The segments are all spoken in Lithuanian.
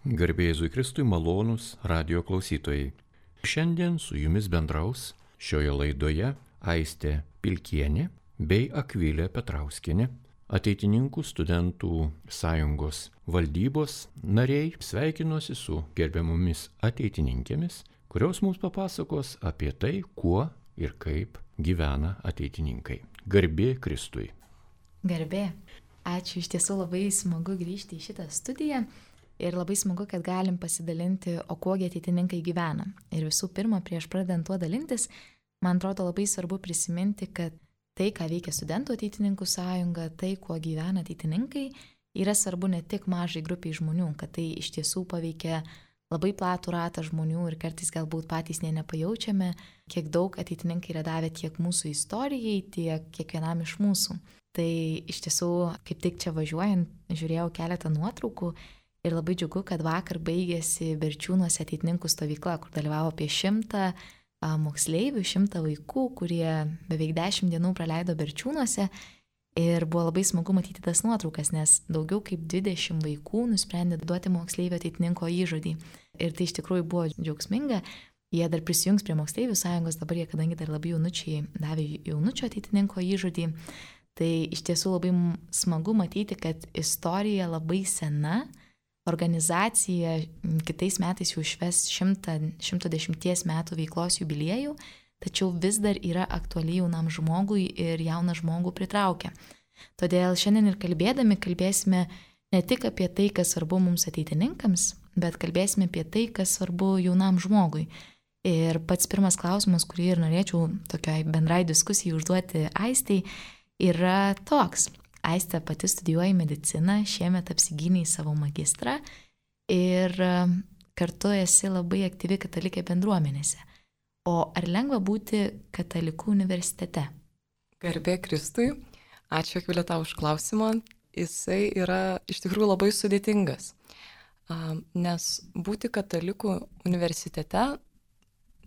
Garbė Jėzui Kristui, malonūs radio klausytojai. Šiandien su jumis bendraus šioje laidoje Aistė Pilkienė bei Akvilė Petrauskienė, Ateitininkų studentų sąjungos valdybos nariai. Sveikinuosi su gerbiamomis ateitininkėmis, kurios mums papasakos apie tai, kuo ir kaip gyvena ateitininkai. Garbė Kristui. Garbė. Ačiū, iš tiesų labai smagu grįžti į šitą studiją. Ir labai smagu, kad galim pasidalinti, o kuogi ateitininkai gyvena. Ir visų pirma, prieš pradedant tuo dalintis, man atrodo labai svarbu prisiminti, kad tai, ką veikia studentų ateitininkų sąjunga, tai, kuo gyvena ateitininkai, yra svarbu ne tik mažai grupiai žmonių, kad tai iš tiesų paveikia labai platų ratą žmonių ir kartais galbūt patys nepajaučiame, kiek daug ateitininkai yra davę tiek mūsų istorijai, tiek kiekvienam iš mūsų. Tai iš tiesų, kaip tik čia važiuojant, žiūrėjau keletą nuotraukų. Ir labai džiugu, kad vakar baigėsi Berčiūnuose ateitininkų stovykla, kur dalyvavo apie 100 moksleivių, 100 vaikų, kurie beveik 10 dienų praleido Berčiūnuose. Ir buvo labai smagu matyti tas nuotraukas, nes daugiau kaip 20 vaikų nusprendė duoti moksleivio ateitininko įžodį. Ir tai iš tikrųjų buvo džiaugsminga. Jie dar prisijungs prie moksleivių sąjungos, dabar jie, kadangi dar labai jaunučiai, davė jaunučio ateitininko įžodį. Tai iš tiesų labai smagu matyti, kad istorija labai sena. Organizacija kitais metais jau šves 110 metų veiklos jubiliejų, tačiau vis dar yra aktuali jaunam žmogui ir jauną žmogų pritraukia. Todėl šiandien ir kalbėsime ne tik apie tai, kas svarbu mums ateitininkams, bet kalbėsime apie tai, kas svarbu jaunam žmogui. Ir pats pirmas klausimas, kurį ir norėčiau tokiai bendrai diskusijai užduoti Aistei, yra toks. Aistė pati studijuoja mediciną, šiemet apsigynei savo magistrą ir kartu esi labai aktyvi katalikė bendruomenėse. O ar lengva būti katalikų universitete? Garbė Kristui, ačiū Akvilė tau už klausimą. Jisai yra iš tikrųjų labai sudėtingas, nes būti katalikų universitete,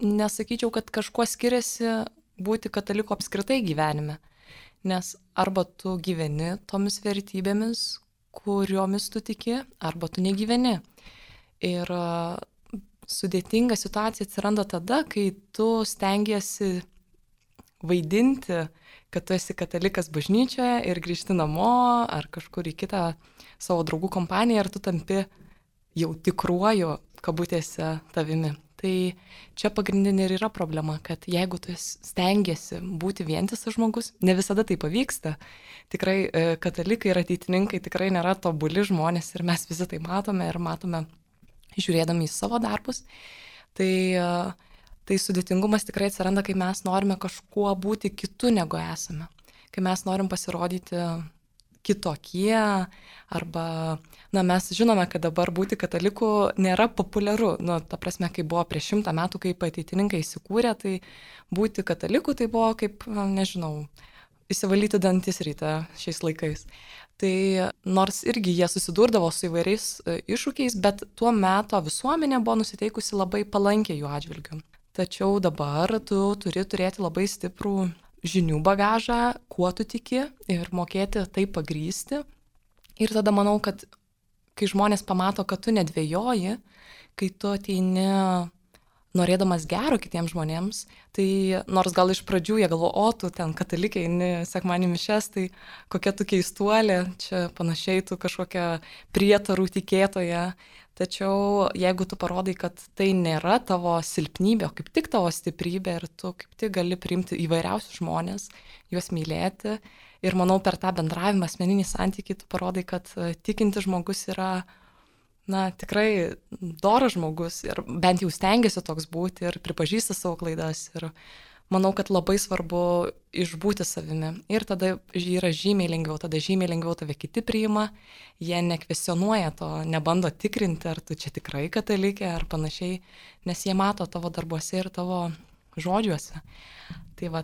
nesakyčiau, kad kažkuo skiriasi būti kataliku apskritai gyvenime. Nes arba tu gyveni tomis vertybėmis, kuriomis tu tiki, arba tu negyveni. Ir sudėtinga situacija atsiranda tada, kai tu stengiasi vaidinti, kad tu esi katalikas bažnyčioje ir grįžti namo ar kažkur į kitą savo draugų kompaniją ir tu tampi jau tikruoju kabutėse tavimi. Tai čia pagrindinė ir yra problema, kad jeigu tu stengiasi būti vientisas žmogus, ne visada tai pavyksta. Tikrai katalikai ir ateitininkai tikrai nėra tobuli žmonės ir mes visi tai matome ir matome žiūrėdami į savo darbus. Tai sudėtingumas tikrai atsiranda, kai mes norime kažkuo būti kitu negu esame. Kai mes norim pasirodyti kitokie, arba, mes žinome, kad dabar būti kataliku nėra populiaru. Ta prasme, kai buvo prieš 100 metų, kaip ateitininkai įsikūrė, tai būti kataliku tai buvo kaip, įsivalyti dantis rytą šiais laikais. Tai nors irgi jie susidurdavo su įvairiais iššūkiais, bet tuo metu visuomenė buvo nusiteikusi labai palankiai jų atžvilgiu. Tačiau dabar tu turi turėti labai stiprų žinių bagažą, kuo tu tiki ir mokėti tai pagrįsti. Ir tada manau, kad kai žmonės pamato, kad tu nedvejoji, kai tu ateini norėdamas gero kitiems žmonėms, tai nors gal iš pradžių jie galvo, tu ten katalikai, eini sekmadienį mišias, tai kokia tu keistuolė, čia panašiai tu kažkokia prietarų tikėtoja. Tačiau jeigu tu parodai, kad tai nėra tavo silpnybė, o kaip tik tavo stiprybė ir tu kaip tik gali priimti įvairiausius žmonės, juos mylėti. Ir manau, per tą bendravimą, asmeninį santykį, tu parodai, kad tikintis žmogus yra, tikrai doras žmogus ir bent jau stengiasi toks būti ir pripažįsta savo klaidas. Ir manau, kad labai svarbu išbūti savimi. Ir tada yra žymiai lengviau tave kiti priima, jie nekvesionuoja to, nebando tikrinti, ar tu čia tikrai katalikė ar panašiai, nes jie mato tavo darbuose ir tavo žodžiuose. Tai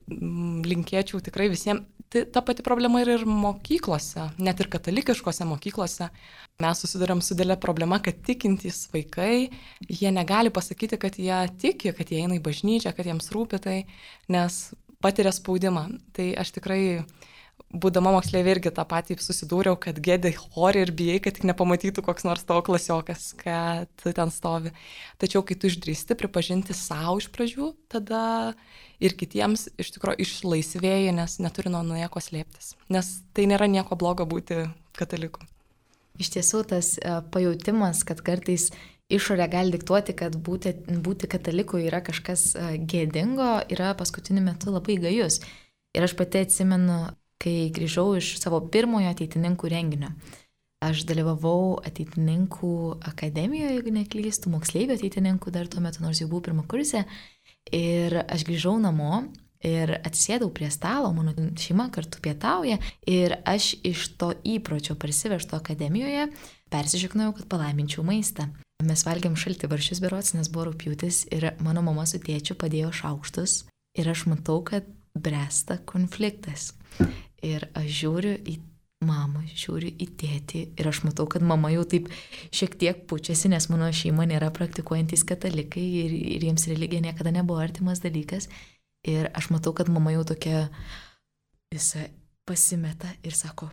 linkėčiau tikrai visiems. Ta pati problema ir mokyklose, net ir katalikiškose mokyklose. Mes susiduriam su didelė problema, kad tikintys vaikai, jie negali pasakyti, kad jie tiki, kad jie eina į bažnyčią, kad jiems rūpi tai, nes patiria spaudimą. Tai aš tikrai būdama moksleivė irgi tą patį susidūriau, kad gėdė chore ir bijai, kad tik nepamatytų koks nors tavo klasiokas, kad ten stovi. Tačiau, kai tu išdrįsti pripažinti savo iš pradžių, tada ir kitiems iš tikrųjų išlaisvėji, nes neturi nuo nieko slėptis. Nes tai nėra nieko blogo būti kataliku. Iš tiesų, tas pajautimas, kad kartais išorė gali diktuoti, kad būti kataliku yra kažkas gėdingo, yra paskutiniu metu labai gajus. Ir aš pati atsimenu, kai grįžau iš savo pirmojo ateitininkų renginio. Aš dalyvavau ateitininkų akademijoje, jeigu neklystu, moksleivių ateitininkų dar tuo metu, nors jau buvau pirmą kursę. Ir aš grįžau namo ir atsisėdau prie stalo, mano šeima kartu pietauja. Ir aš iš to įpročio parsivežto akademijoje persižegnojau, kad palaiminčiau maistą. Mes valgėm šaltibarščius berods, nes buvo rugpjūtis ir mano mama su tėčiu padėjo šaukštus. Ir aš matau, kad bręsta konfliktas. Ir aš žiūriu į mamą, žiūriu į tėtį ir aš matau, kad mama jau taip šiek tiek pučiasi, nes mano šeima nėra praktikuojantys katalikai ir jiems religija niekada nebuvo artimas dalykas. Ir aš matau, kad mama jau tokia visa pasimeta ir sako,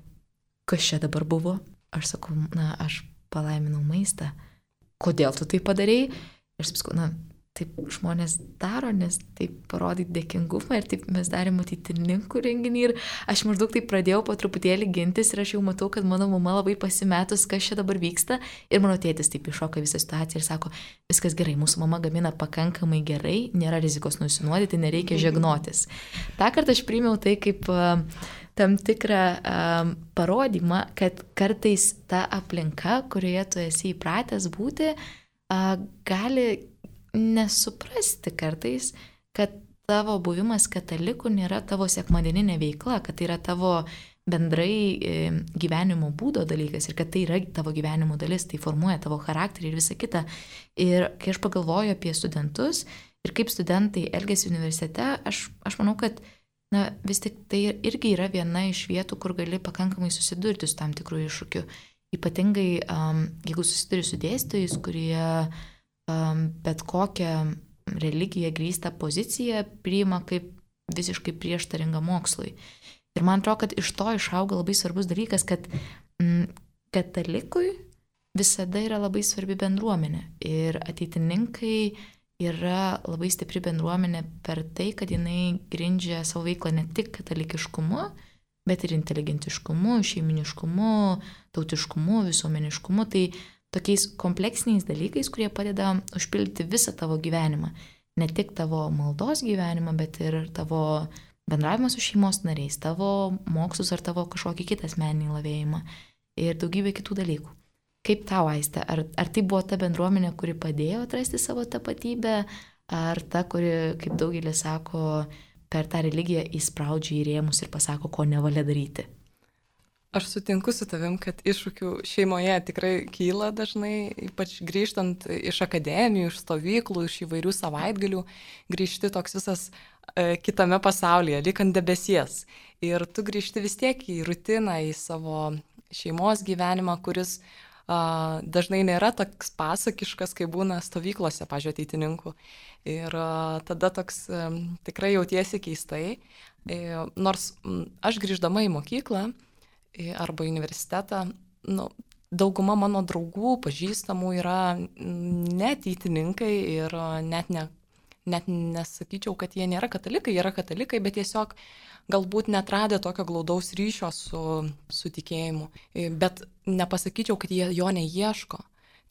kas čia dabar buvo? Aš sakau, aš palaiminau maistą. Kodėl tu tai padarei? Ir aš sakau, taip žmonės daro, nes taip parodyti dėkingumą ir taip mes darėm ateitininkų renginį ir aš maždaug taip pradėjau po truputėlį gintis ir aš jau matau, kad mano mama labai pasimetus, kas čia dabar vyksta ir mano tėtis taip iššoka visą situaciją ir sako, viskas gerai, mūsų mama gamina pakankamai gerai, nėra rizikos nusinuodyti, nereikia žegnotis. Ta kartą aš priėmiau tai kaip tam tikrą parodymą, kad kartais ta aplinka, kurioje tu esi įpratęs būti, gali nesuprasti kartais, kad tavo buvimas kataliku nėra tavo sekmadieninė veikla, kad tai yra tavo bendrai gyvenimo būdo dalykas ir kad tai yra tavo gyvenimo dalis, tai formuoja tavo charakterį ir visą kitą. Ir kai aš pagalvoju apie studentus ir kaip studentai elgiasi universitete, aš manau, kad vis tik tai irgi yra viena iš vietų, kur gali pakankamai susidurti su tam tikrų iššūkių. Ypatingai, jeigu susiduri su dėstytojais, kurie bet kokią religiją grįstą poziciją priima kaip visiškai prieštaringą mokslui. Ir man atrodo, kad iš to išauga labai svarbus dalykas, kad katalikui visada yra labai svarbi bendruomenė. Ir ateitininkai yra labai stipri bendruomenė per tai, kad jinai grindžia savo veiklą ne tik katalikiškumu, bet ir inteligentiškumu, šeiminiškumu, tautiškumu, visuomeniškumu. Tai tokiais kompleksiniais dalykais, kurie padeda užpildyti visą tavo gyvenimą. Ne tik tavo maldos gyvenimą, bet ir tavo bendravimą su šeimos nariais, tavo mokslus ar tavo kažkokį kitą asmeninį lavėjimą ir daugybę kitų dalykų. Kaip tau, Aiste, ar tai buvo ta bendruomenė, kuri padėjo atrasti savo tapatybę, ar ta, kuri, kaip daugelis sako, per tą religiją įspraudžia į rėmus ir pasako, ko nevalia daryti? Aš sutinku su tavim, kad iššūkių šeimoje tikrai kyla dažnai, ypač grįžtant iš akademijų, iš stovyklų, iš įvairių savaitgalių, grįžti toks visas kitame pasaulyje, lyg ant debesies. Ir tu grįžti vis tiek į rutiną, į savo šeimos gyvenimą, kuris dažnai nėra toks pasakiškas, kai būna stovyklose, pavyzdžiui, ateitininkų. Ir tada toks tikrai jautiesi keistai. Nors aš grįždama į mokyklą, arba universitetą, dauguma mano draugų, pažįstamų yra neateitininkai ir net nesakyčiau, kad jie nėra katalikai, jie yra katalikai, bet tiesiog galbūt netradę tokio glaudaus ryšio su tikėjimu. Bet nepasakyčiau, kad jie jo neieško.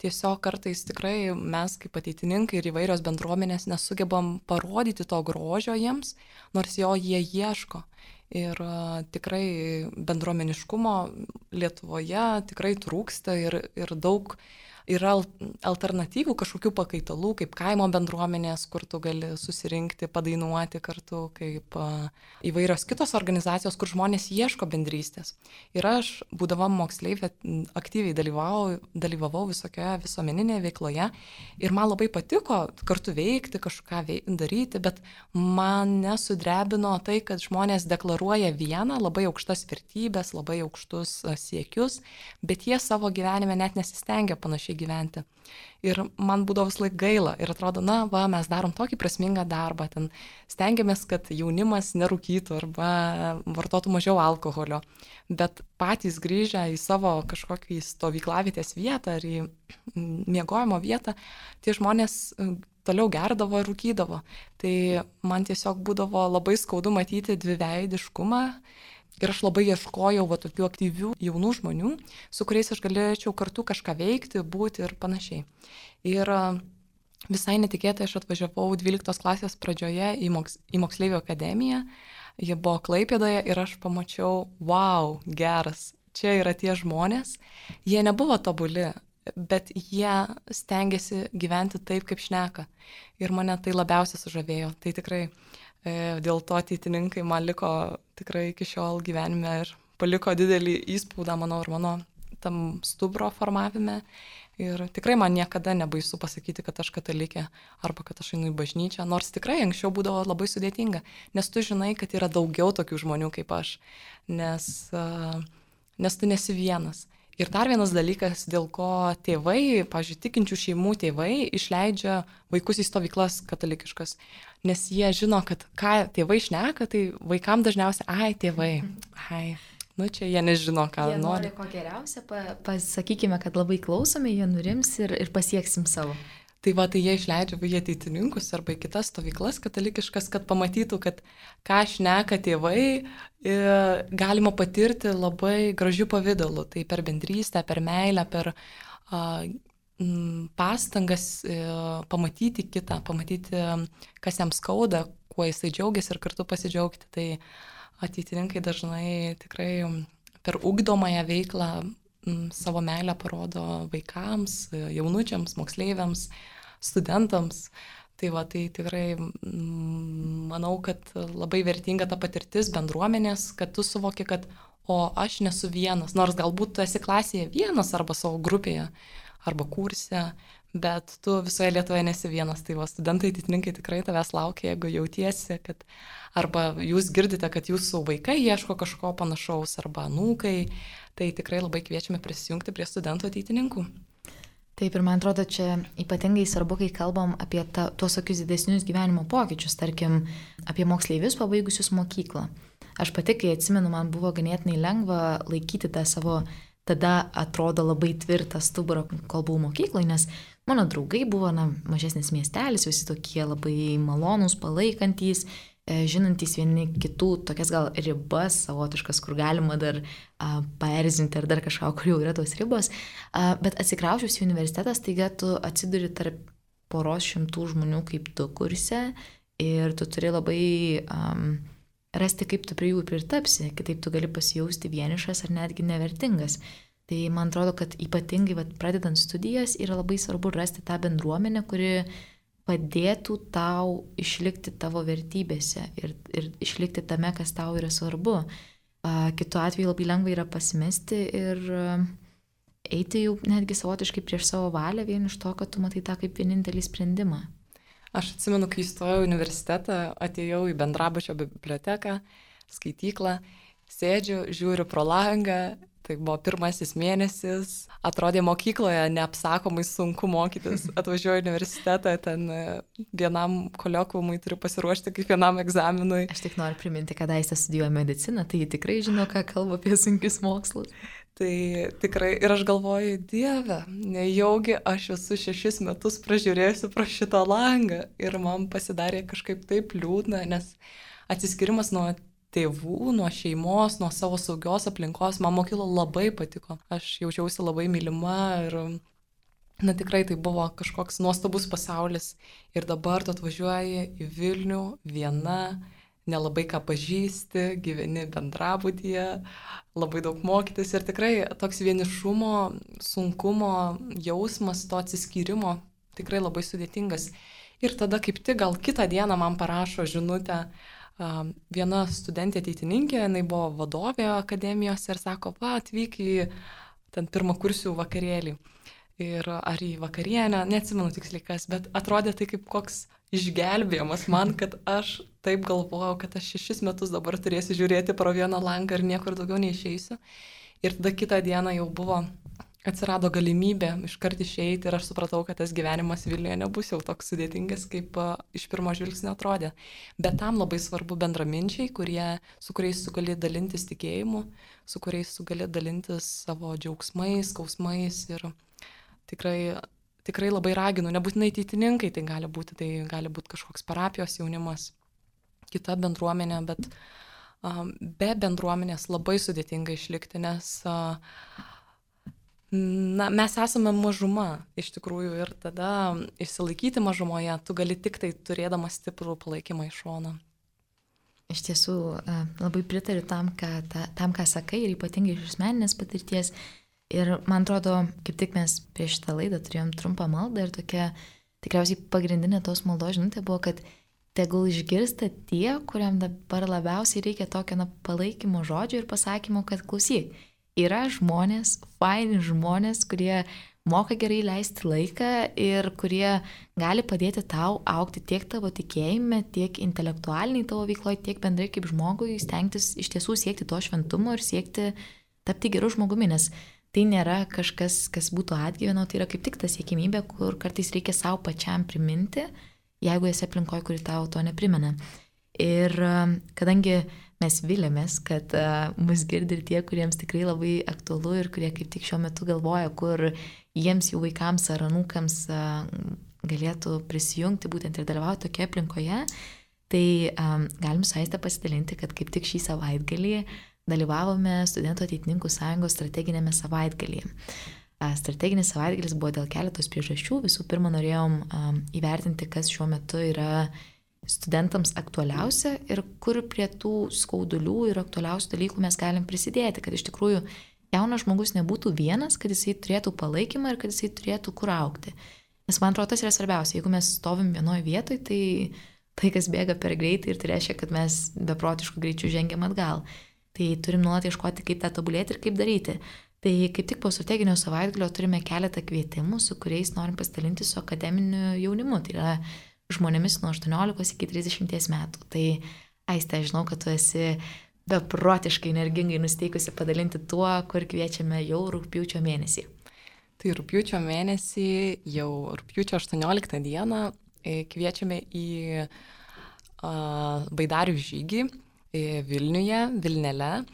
Tiesiog kartais tikrai mes kaip ateitininkai ir įvairios bendruomenės nesugebam parodyti to grožio jiems, nors jo jie ieško. Ir tikrai bendruomeniškumo Lietuvoje tikrai trūksta ir daug yra alternatyvų kažkokių pakaitalų, kaip kaimo bendruomenės, kur tu gali susirinkti, padainuoti kartu, kaip įvairios kitos organizacijos, kur žmonės ieško bendrystės. Ir aš, būdama moksleivė, aktyviai dalyvavau visokioje visuomeninėje veikloje ir man labai patiko kartu veikti, kažką daryti, bet man nesudrebino tai, kad žmonės deklaruoja demonstruoja vieną labai aukštas vertybės, labai aukštus siekius, bet jie savo gyvenime net nesistengia panašiai gyventi. Ir man būdavo vis laik gaila ir atrodo, mes darom tokį prasmingą darbą, ten stengiamės, kad jaunimas nerūkytų arba vartotų mažiau alkoholio, bet patys grįžę į savo kažkokį stovyklavietės vietą ar į miegojimo vietą, tie žmonės toliau gerdavo ir rūkydavo. Tai man tiesiog būdavo labai skaudu matyti dviveidiškumą. Ir aš labai ieškojau tokių aktyvių jaunų žmonių, su kuriais aš galėčiau kartu kažką veikti, būti ir panašiai. Ir visai netikėtai aš atvažiavau 12 klasės pradžioje į moksleivių akademiją. Jie buvo Klaipėdoje ir aš pamačiau, wow, geras, čia yra tie žmonės. Jie nebuvo tobuli, bet jie stengiasi gyventi taip, kaip šneka. Ir mane tai labiausiai sužavėjo. Tai tikrai dėl to ateitininkai man liko tikrai iki šiol gyvenime ir paliko didelį įspaudą mano ir mano tam stuburo formavime. Ir tikrai man niekada nebaisu pasakyti, kad aš katalikė arba kad aš einu į bažnyčią, nors tikrai anksčiau būdavo labai sudėtinga, nes tu žinai, kad yra daugiau tokių žmonių kaip aš, nes tu nesi vienas. Ir dar vienas dalykas, dėl ko tėvai, pavyzdžiui, tikinčių šeimų tėvai išleidžia vaikus į stovyklas katalikiškas, nes jie žino, kad ką tėvai šneka, tai vaikam dažniausiai, tėvai, čia jie nežino, ką jie nori. Jie nori ko geriausia, pasakykime, kad labai klausome, jie nurims ir pasieksim savo. Tai jie išleidžia į ateitininkus arba į kitas stovyklas katalikiškas, kad pamatytų, kad ką šneka tėvai, galima patirti labai gražių pavydalų. Tai per bendrystę, per meilę, per pastangas pamatyti kitą, pamatyti, kas jam skauda, kuo jisai džiaugiasi ir kartu pasidžiaugti. Tai ateitininkai dažnai tikrai per ugdomąją veiklą savo meilę parodo vaikams, jaunučiams, moksleiviams, studentams. Tai tikrai manau, kad labai vertinga ta patirtis bendruomenės, kad tu suvoki, kad aš nesu vienas, nors galbūt tu esi klasėje vienas arba savo grupėje, arba kurse, bet tu visoje Lietuvoje nesi vienas. Tai studentai, ateitininkai tikrai tavęs laukia, jeigu jautiesi, kad arba jūs girdite, kad jūsų vaikai ieško kažko panašaus, arba anūkai, tai tikrai labai kviečiame prisijungti prie studentų ateitininkų. Taip, ir man atrodo, čia ypatingai svarbu, kai kalbam apie tuos tokius didesnius gyvenimo pokyčius, tarkim, apie moksleivius pabaigusius mokyklą. Aš pati, kai atsimenu, man buvo ganėtinai lengva laikyti tą savo, tada atrodo labai tvirtą stuburą, kol buvau mokykloje, nes mano draugai buvo mažesnis miestelis, visi tokie labai malonūs, palaikantys, žinantys vieni kitų tokias gal ribas savotiškas, kur galima dar paerzinti ar dar kažką, kur jau yra tos ribos. Bet atsikraušius į universitetą, staiga tu atsiduri tarp poros šimtų žmonių kaip tu kurse ir tu turi labai rasti, kaip tu prie jų pritapsi, kitaip tu gali pasijausti vienišas ar netgi nevertingas. Tai man atrodo, kad ypatingai pradedant studijas yra labai svarbu rasti tą bendruomenę, kuri padėtų tau išlikti tavo vertybėse ir išlikti tame, kas tau yra svarbu. Kitu atveju labai lengva yra pasimesti ir eiti jau netgi savotiškai prieš savo valią vien iš to, kad tu matai tą kaip vienintelį sprendimą. Aš atsimenu, kai įstojau į universitetą, atėjau į bendrabučio biblioteką, skaityklą, sėdžiu, žiūriu pro langą. Tai buvo pirmasis mėnesis, atrodė mokykloje neapsakomai sunku mokytis, atvažiuoju į universitetą, ten vienam koliokviumui turiu pasiruošti kaip vienam egzaminui. Aš tik noriu priminti, kad Aistė studijuoja mediciną, tai ji tikrai žino, ką kalba apie sunkius mokslus. Tai tikrai, ir aš galvoju, Dieve, nejaugi aš esu 6 metus pražiūrėjusi pro šitą langą ir man pasidarė kažkaip taip liūdna, nes atsiskirimas nuo tėvų, nuo šeimos, nuo savo saugios aplinkos, man mokykla labai patiko. Aš jaučiausi labai mylima ir, tikrai tai buvo kažkoks nuostabus pasaulis. Ir dabar tu atvažiuoji į Vilnių viena, nelabai ką pažįsti, gyveni bendrabutyje, labai daug mokytis ir tikrai toks vienišumo, sunkumo jausmas, to atsiskyrimo tikrai labai sudėtingas. Ir tada kaip tik gal kitą dieną man parašo žinutę, viena studentė ateitininkė, jinai buvo vadovė akademijos ir sako, atvyk į ten pirmakursių vakarėlį. Ir ar į vakarienę, neatsimenu tiksliai kas, bet atrodė tai kaip koks išgelbėjimas man, kad aš taip galvojau, kad aš 6 metus dabar turėsiu žiūrėti pro vieną langą ir niekur daugiau neišeisiu. Ir tada kitą dieną jau atsirado galimybė iškart išeiti ir aš supratau, kad tas gyvenimas Vilniuje nebus jau toks sudėtingas, kaip iš pirmo žvilgsnio atrodė. Bet tam labai svarbu bendraminčiai, su kuriais tu gali dalintis tikėjimu, su kuriais tu gali dalintis savo džiaugsmais, skausmais ir tikrai labai raginu, nebūtinai ateitininkai, tai gali būti kažkoks parapijos jaunimas, kita bendruomenė, bet be bendruomenės labai sudėtinga išlikti, nes mes esame mažuma iš tikrųjų ir tada išsilaikyti mažumoje tu gali tik tai turėdamas stiprų palaikymą iš šono. Iš tiesų labai pritariu tam, ką sakai ir ypatingai iš asmeninės patirties. Ir man atrodo, kaip tik mes prieš šitą laidą turėjom trumpą maldą ir tokia tikriausiai pagrindinė tos maldos žinutė buvo, kad tegul išgirsta tie, kuriam dabar labiausiai reikia tokio palaikymo žodžio ir pasakymo, kad klausyk, yra žmonės, faini žmonės, kurie moka gerai leisti laiką ir kurie gali padėti tau augti tiek tavo tikėjime, tiek intelektualiniai tavo veikloje, tiek bendrai kaip žmogui stengtis iš tiesų siekti to šventumo ir siekti tapti geru žmogumi, nes tai nėra kažkas, kas būtų atgyveno, tai yra kaip tik ta siekimybė, kur kartais reikia savo pačiam priminti, jeigu esi aplinkoje, kuri tau to neprimena. Ir kadangi mes vilėmės, kad mus girdi ir tie, kuriems tikrai labai aktualu ir kurie kaip tik šiuo metu galvoja, kur jiems jų vaikams ar anūkams galėtų prisijungti būtent ir dalyvauti tokioje aplinkoje, tai galim su Aiste pasidalinti, kad kaip tik šį savaitgalį dalyvavome Studentų ateitininkų sąjungos strateginėme savaitgalyje. Strateginis savaitgalis buvo dėl keletos priežasčių. Visų pirma, norėjom įvertinti, kas šiuo metu yra studentams aktualiausia ir kur prie tų skaudulių ir aktualiausių dalykų mes galim prisidėti, kad iš tikrųjų jaunas žmogus nebūtų vienas, kad jisai turėtų palaikymą ir kad jisai turėtų kur augti. Nes man atrodo, tas yra svarbiausia. Jeigu mes stovim vienoje vietoje, tai laikas bėga per greitai ir tai reiškia, kad mes beprotišku greičiu žengiam atgal. Tai turim nuolat ieškoti, kaip tą tobulėti ir kaip daryti. Tai kaip tik po strateginio savaitgalio turime keletą kvietimų, su kuriais norim pasidalinti su akademiniu jaunimu. Tai yra žmonėmis nuo 18 iki 30 metų. Tai Aiste, žinau, kad tu esi beprotiškai energingai nusteikusi padalinti tuo, kur kviečiame jau rugpjūčio mėnesį. Tai rugpjūčio mėnesį, jau rugpjūčio 18 dieną kviečiame į baidarių žygį Vilniuje, Vilnele.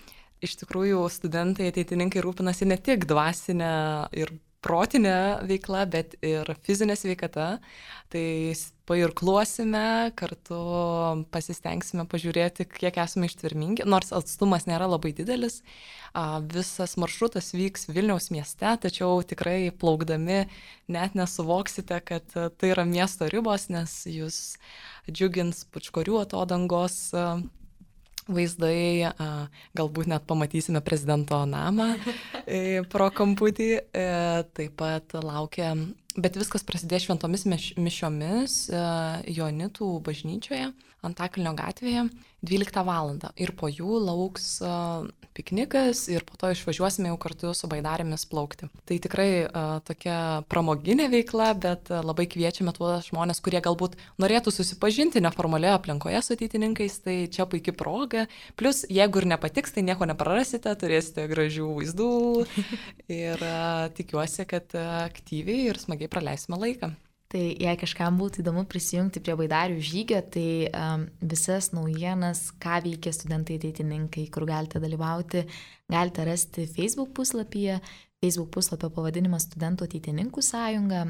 Iš tikrųjų, studentai ateitininkai rūpinasi ne tik dvasinę ir protinę veiklą, bet ir fizinę sveikatą. Tai pairkluosime, kartu pasistengsime pažiūrėti, kiek esame ištvermingi, nors atstumas nėra labai didelis. Visas maršrutas vyks Vilniaus mieste, tačiau tikrai plaukdami net nesuvoksite, kad tai yra miesto ribos, nes jūs džiugins Pučkorių atodangos vaizdai, galbūt net pamatysime prezidento namą pro kamputį, taip pat laukia, bet viskas prasidės šventomis mišiomis Joanitų bažnyčioje, Antakalnio gatvėje 12 valandą ir po jų lauks piknikas ir po to išvažiuosime jau kartu su baidarėmis plaukti. Tai tikrai tokia pramoginė veikla, bet labai kviečiame tuos žmonės, kurie galbūt norėtų susipažinti neformalioje aplinkoje su ateitininkais, tai čia puikia proga. Plus, jeigu ir nepatiks, tai nieko neprarasite, turėsite gražių vaizdų ir tikiuosi, kad aktyviai ir smagiai praleisime laiką. Tai jei kažkam būtų įdomu prisijungti prie baidarių žygio, tai visas naujienas, ką veikia studentai ateitininkai, kur galite dalyvauti, galite rasti Facebook puslapyje. Facebook puslapio pavadinimas Studentų ateitininkų sąjunga.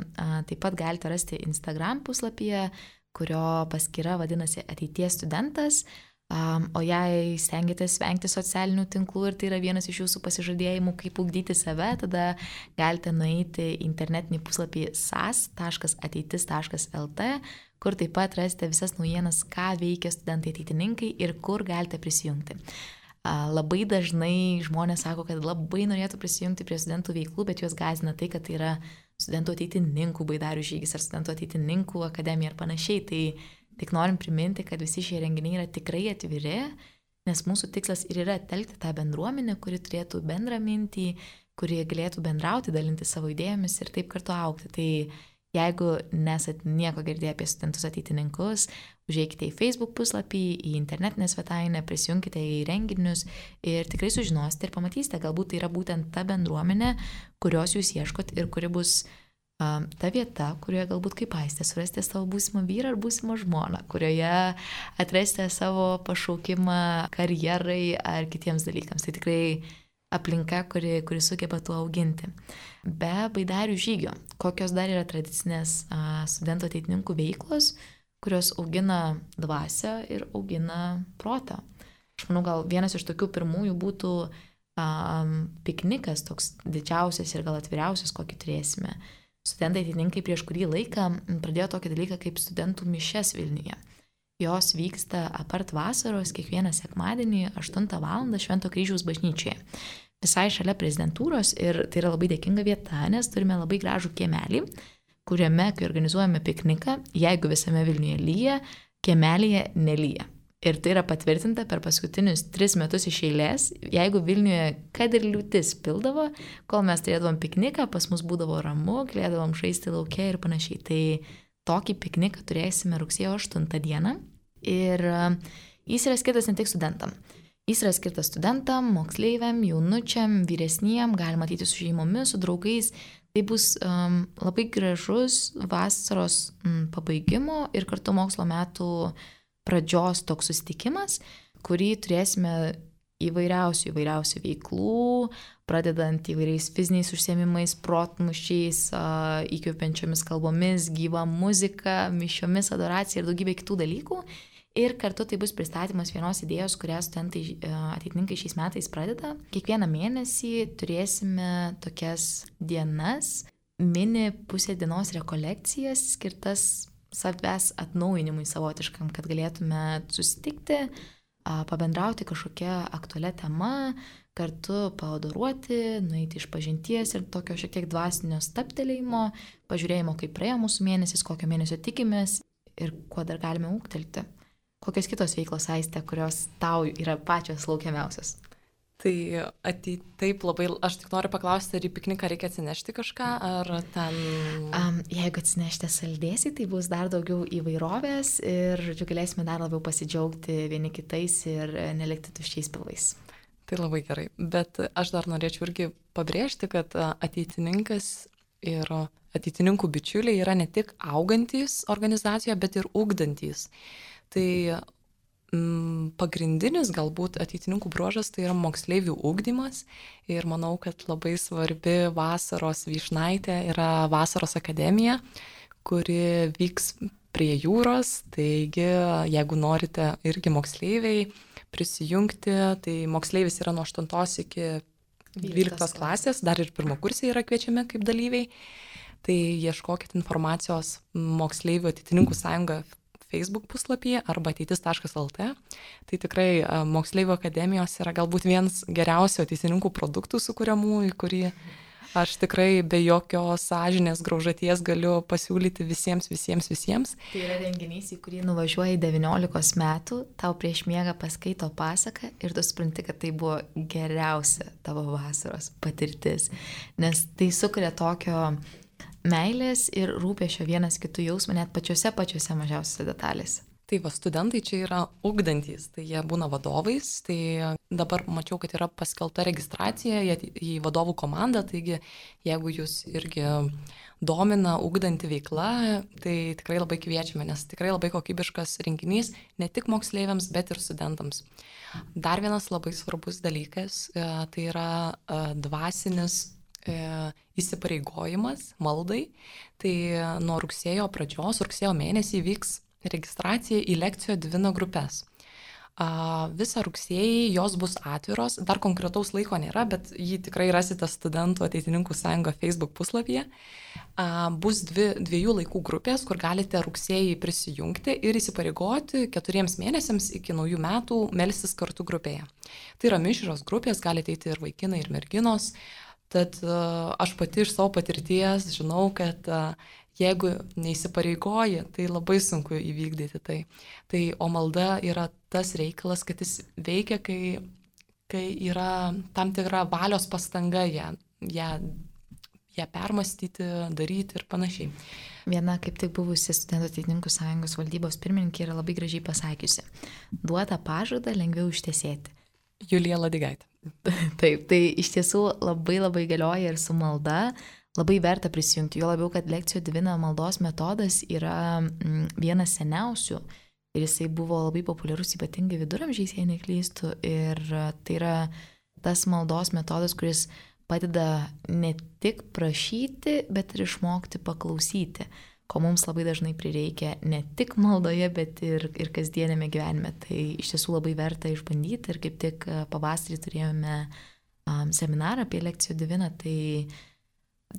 Taip pat galite rasti Instagram puslapyje, kurio paskyra vadinasi Ateities studentas. O jei stengiatės vengti socialinių tinklų ir tai yra vienas iš jūsų pasižadėjimų, kaip ugdyti save, tada galite nueiti į internetinį puslapį sas.ateitis.lt, kur taip pat rasite visas naujienas, ką veikia studentai ateitininkai ir kur galite prisijungti. Labai dažnai žmonės sako, kad labai norėtų prisijungti prie studentų veiklų, bet juos gąsdina tai, kad tai yra studentų ateitininkų baidarių žygis ar studentų ateitininkų akademija ir panašiai. Tai tik norim priminti, kad visi šie renginiai yra tikrai atviri, nes mūsų tikslas ir yra telkti tą bendruomenę, kuri turėtų bendrą mintį, kuri galėtų bendrauti, dalinti savo idėjomis ir taip kartu augti. Tai Jeigu nesat nieko girdėję apie studentus ateitininkus, užeikite į Facebook puslapį, į internetinę svetainę, prisijungkite į renginius ir tikrai sužinosite ir pamatysite, galbūt tai yra būtent ta bendruomenė, kurios jūs ieškot ir kuri bus ta vieta, kurioje galbūt kaip Aistė surasite savo būsimą vyrą ar būsimą žmoną, kurioje atrasite savo pašaukimą karjerai ar kitiems dalykams. Tai tikrai aplinka, kuri sugeba tuo auginti. Be baidarių žygio, kokios dar yra tradicinės studentų ateitininkų veiklos, kurios augina dvasią ir augina protą. Aš manau, gal vienas iš tokių pirmųjų būtų piknikas, toks didžiausias ir gal atviriausias, kokį turėsime. Studentai ateitininkai prieš kurį laiką pradėjo tokį dalyką kaip studentų mišias Vilniuje. Jos vyksta apart vasaros kiekvieną sekmadienį 8 val. Švento Kryžiaus bažnyčioje. Visai šalia prezidentūros ir tai yra labai dėkinga vieta, nes turime labai gražų kiemelį, kuriame, kai organizuojame pikniką, jeigu visame Vilniuje lyja, kiemelyje nelyja. Ir tai yra patvirtinta per paskutinius 3 metus iš eilės. Jeigu Vilniuje kad ir liūtis pildavo, kol mes turėdavom pikniką, pas mus būdavo ramu, galėdavom žaisti lauke ir panašiai. Tai tokį pikniką turėsime rugsėjo 8 dieną. Ir jis yra skirtas ne tik studentam. Jis yra skirtas studentam, moksleiviam, jaunučiam, vyresniem, galima ateiti su šeimomis, su draugais. Tai bus labai gražus vasaros pabaigimo ir kartu mokslo metų pradžios toks susitikimas, kurį turėsime įvairiausių veiklų, pradedant įvairiais fiziniais užsiėmimais, protmušiais, įkvepiančiomis kalbomis, gyva muzika, mišiomis, adoracija ir daugybė kitų dalykų. Ir kartu tai bus pristatymas vienos idėjos, kurią studentai ateitininkai šiais metais pradeda. Kiekvieną mėnesį turėsime tokias dienas, mini pusę dienos rekolekcijas skirtas savęs atnaujinimui savotiškam, kad galėtume susitikti, pabendrauti kažkokią aktualią temą, kartu paadoruoti, nueiti iš pažinties ir tokio šiek tiek dvasinio stabtelėjimo, pažiūrėjimo, kaip praėjo mūsų mėnesis, kokio mėnesio tikimės ir kuo dar galime ūgtelti. Kokios kitos veiklos, Aiste, kurios tau yra pačios laukiamiausios? Tai taip labai, aš tik noriu paklausti, ar į pikniką reikia atsinešti kažką, ar ten... Jeigu atsinešite saldėsį, tai bus dar daugiau įvairovės ir galėsime dar labiau pasidžiaugti vieni kitais ir nelikti tuščiais pilvais. Tai labai gerai, bet aš dar norėčiau irgi pabrėžti, kad ateitininkas ir ateitininkų bičiuliai yra ne tik augantys organizacijoje, bet ir ugdantys. Tai pagrindinis galbūt ateitininkų bruožas tai yra moksleivių ugdymas ir manau, kad labai svarbi vasaros vyšnaitė yra Vasaros akademija, kuri vyks prie jūros, taigi jeigu norite irgi moksleiviai prisijungti, tai moksleivis yra nuo 8 iki 12 klasės, dar ir pirmakursiai yra kviečiami kaip dalyviai, tai ieškokit informacijos Moksleivių ateitininkų sąjunga Facebook puslapyje arba ateitis.lt. Tai tikrai Moksleivių akademijos yra galbūt vienas geriausių ateitininkų produktų sukūriamų, į kurį aš tikrai be jokios sąžinės graužaties galiu pasiūlyti visiems. Tai yra renginys, į kurį nuvažiuoji 19 metų, tau prieš miegą paskaito pasaką ir tu supranti, kad tai buvo geriausia tavo vasaros patirtis, nes tai sukuria tokio meilės ir rūpesčio vienas kitų jausmą net pačiose mažiausiose detalėse. Tai va, studentai čia yra ugdantys, tai jie būna vadovais, tai dabar mačiau, kad yra paskelbta registracija į vadovų komandą, taigi jeigu jūs irgi domina ugdanti veikla, tai tikrai labai kviečiame, nes tikrai labai kokybiškas renginys ne tik moksleiviams, bet ir studentams. Dar vienas labai svarbus dalykas, tai yra dvasinis įsipareigojimas maldai, tai nuo rugsėjo pradžios, rugsėjo mėnesį vyks registracija į lekcijo Divina grupės. Visą rugsėjį jos bus atviros, dar konkretaus laiko nėra, bet jį tikrai rasite Studentų ateitininkų sąjunga Facebook puslapyje. Bus dviejų laikų grupės, kur galite rugsėjį prisijungti ir įsipareigoti 4 mėnesiams iki naujų metų melstis kartu grupėje. Tai yra mišrios grupės, galite eiti ir vaikinai, ir merginos. Tad aš pati iš savo patirties žinau, kad jeigu neįsipareigoji, tai labai sunku įvykdyti tai. O malda yra tas reikalas, kad jis veikia, kai yra tam tikra valios pastanga ją ją permastyti, daryti ir panašiai. Viena kaip tik buvusi Studentų ateitininkų sąjungos valdybos pirmininkė yra labai gražiai pasakiusi: duotą pažadą lengviau ištesėti. Julija Ladigaitė. Taip, tai iš tiesų labai labai galioja ir su malda, labai verta prisijungti, jo labiau, kad Lectio Divina maldos metodas yra vienas seniausių ir jisai buvo labai populiarus ypatingai viduramžiais, jei neklystu, ir tai yra tas maldos metodas, kuris padeda ne tik prašyti, bet ir išmokti paklausyti, ko mums labai dažnai prireikia ne tik maldoje, bet ir kasdienėme gyvenime. Tai iš tiesų labai verta išbandyti ir kaip tik pavasarį turėjome seminarą apie Lectio Divina, tai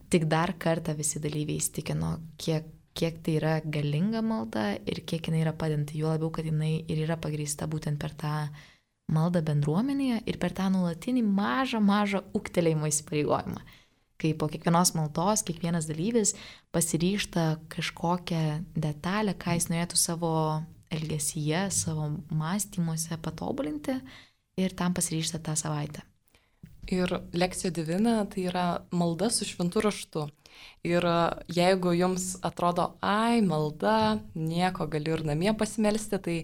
tik dar kartą visi dalyviai įsitikino, kiek tai yra galinga malda ir kiek jinai yra padedanti, juo labiau, kad jinai ir yra pagrįsta būtent per tą maldą bendruomenėje ir per tą nuolatinį mažą ūgtelėjimo įsipareigojimą. Kai po kiekvienos maldos kiekvienas dalyvis pasiryžta kažkokią detalę, ką jis norėtų savo elgesyje, savo mąstymuose patobulinti ir tam pasiryžta tą savaitę. Ir Lectio Divina tai yra malda su šventu raštu. Ir jeigu jums atrodo, malda, nieko, galiu ir namie pasimelsti, tai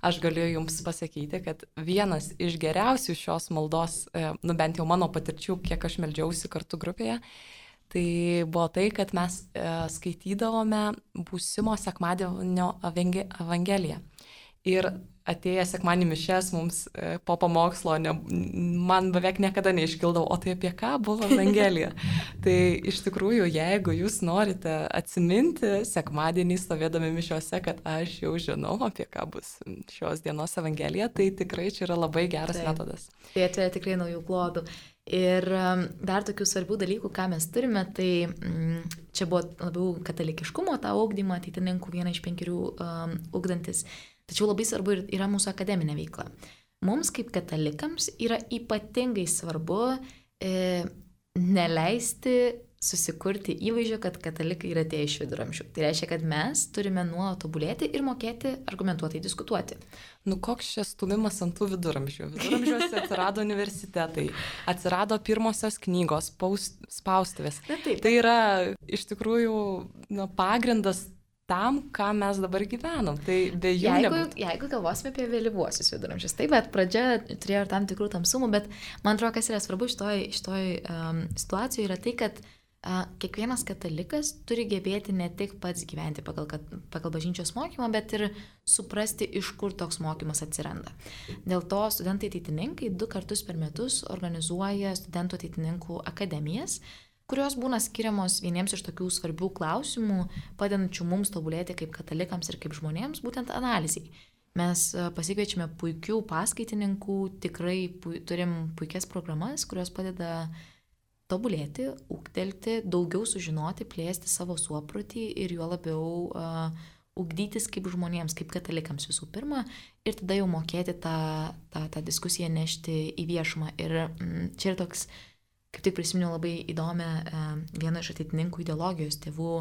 aš galiu jums pasakyti, kad vienas iš geriausių šios maldos, bent jau mano patirčių, kiek aš meldžiausi kartu grupėje, tai buvo tai, kad mes skaitydavome būsimo sekmadienio evangeliją. Ir atėję sekmadienį mišias mums po pamokslo, man beveik niekada neiškildavo, o tai apie ką buvo evangelija. Tai iš tikrųjų, jeigu jūs norite atsiminti sekmadienį stovėdami mišiuose, kad aš jau žinau, apie ką bus šios dienos evangelija, tai tikrai čia yra labai geras metodas. Tai atveria tikrai naujų klodų. Ir dar tokių svarbių dalykų, ką mes turime, tai čia buvo labiau katalikiškumo tą ugdymą, ateitininkų 1 iš 5 ugdantis. Tačiau labai svarbu yra mūsų akademinė veikla. Mums kaip katalikams yra ypatingai svarbu neleisti susikurti įvaizdžio, kad katalikai yra atėję iš viduramžių. Tai reiškia, kad mes turime nuolat tobulėti ir mokėti argumentuotai diskutuoti. Koks čia stumimas ant tų viduramžių? Viduramžiuose atsirado universitetai, atsirado pirmosios knygos, spaustuvės. Tai yra iš tikrųjų pagrindas tam, ką mes dabar gyvenam. Tai be jų nebūtų. Jeigu galvosime apie vėlyvuosius viduramžius, taip, bet pradžia turėjo ir tam tikrų tamsumų, bet man atrodo, kas yra svarbu šitoj situacijoje yra tai, kad kiekvienas katalikas turi gebėti ne tik pats gyventi pagal bažnyčios mokymą, bet ir suprasti, iš kur toks mokymas atsiranda. Dėl to studentai ateitininkai 2 kartus per metus organizuoja studentų ateitininkų akademijas, kurios būna skiriamos vieniems iš tokių svarbių klausimų, padedančių mums tobulėti kaip katalikams ir kaip žmonėms, būtent analizai. Mes pasikviečiame puikių paskaitininkų, tikrai turim puikias programas, kurios padeda tobulėti, ūgtelti, daugiau sužinoti, plėsti savo suoprotį ir juo labiau ugdytis kaip žmonėms, kaip katalikams visų pirma, ir tada jau mokėti tą diskusiją nešti į viešumą. Ir čia yra toks, kaip tik prisiminiau labai įdomią vieno iš ateitininkų ideologijos tėvų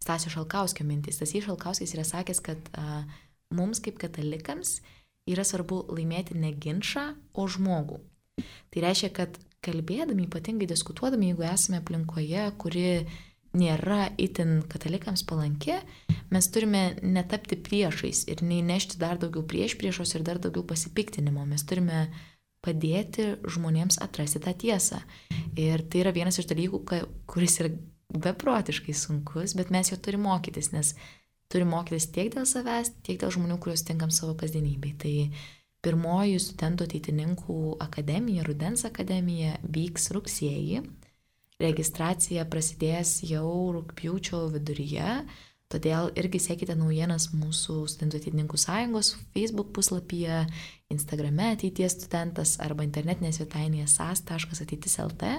Stasio Šalkauskio mintis. Stasys Šalkauskis yra sakęs, kad mums kaip katalikams yra svarbu laimėti ne ginčą, o žmogų. Tai reiškia, kad kalbėdami, ypatingai diskutuodami, jeigu esame aplinkoje, kuri nėra itin katalikams palanki, mes turime netapti priešais ir neįnešti dar daugiau priešos ir dar daugiau pasipiktinimo. Mes turime padėti žmonėms atrasti tą tiesą. Ir tai yra vienas iš dalykų, kuris yra beprotiškai sunkus, bet mes jo turime mokytis, nes turime mokytis tiek dėl savęs, tiek dėl žmonių, kuriuos tinkam savo kasdienybei. Tai pirmoji studentų ateitininkų akademija, Rudens akademija, vyks rugsėjį. Registracija prasidės jau rugpjūčio viduryje, todėl irgi sekite naujienas mūsų studentų ateitininkų sąjungos Facebook puslapyje, Instagrame ateities studentas arba internetinėje svetainėje sas.ateitis.lt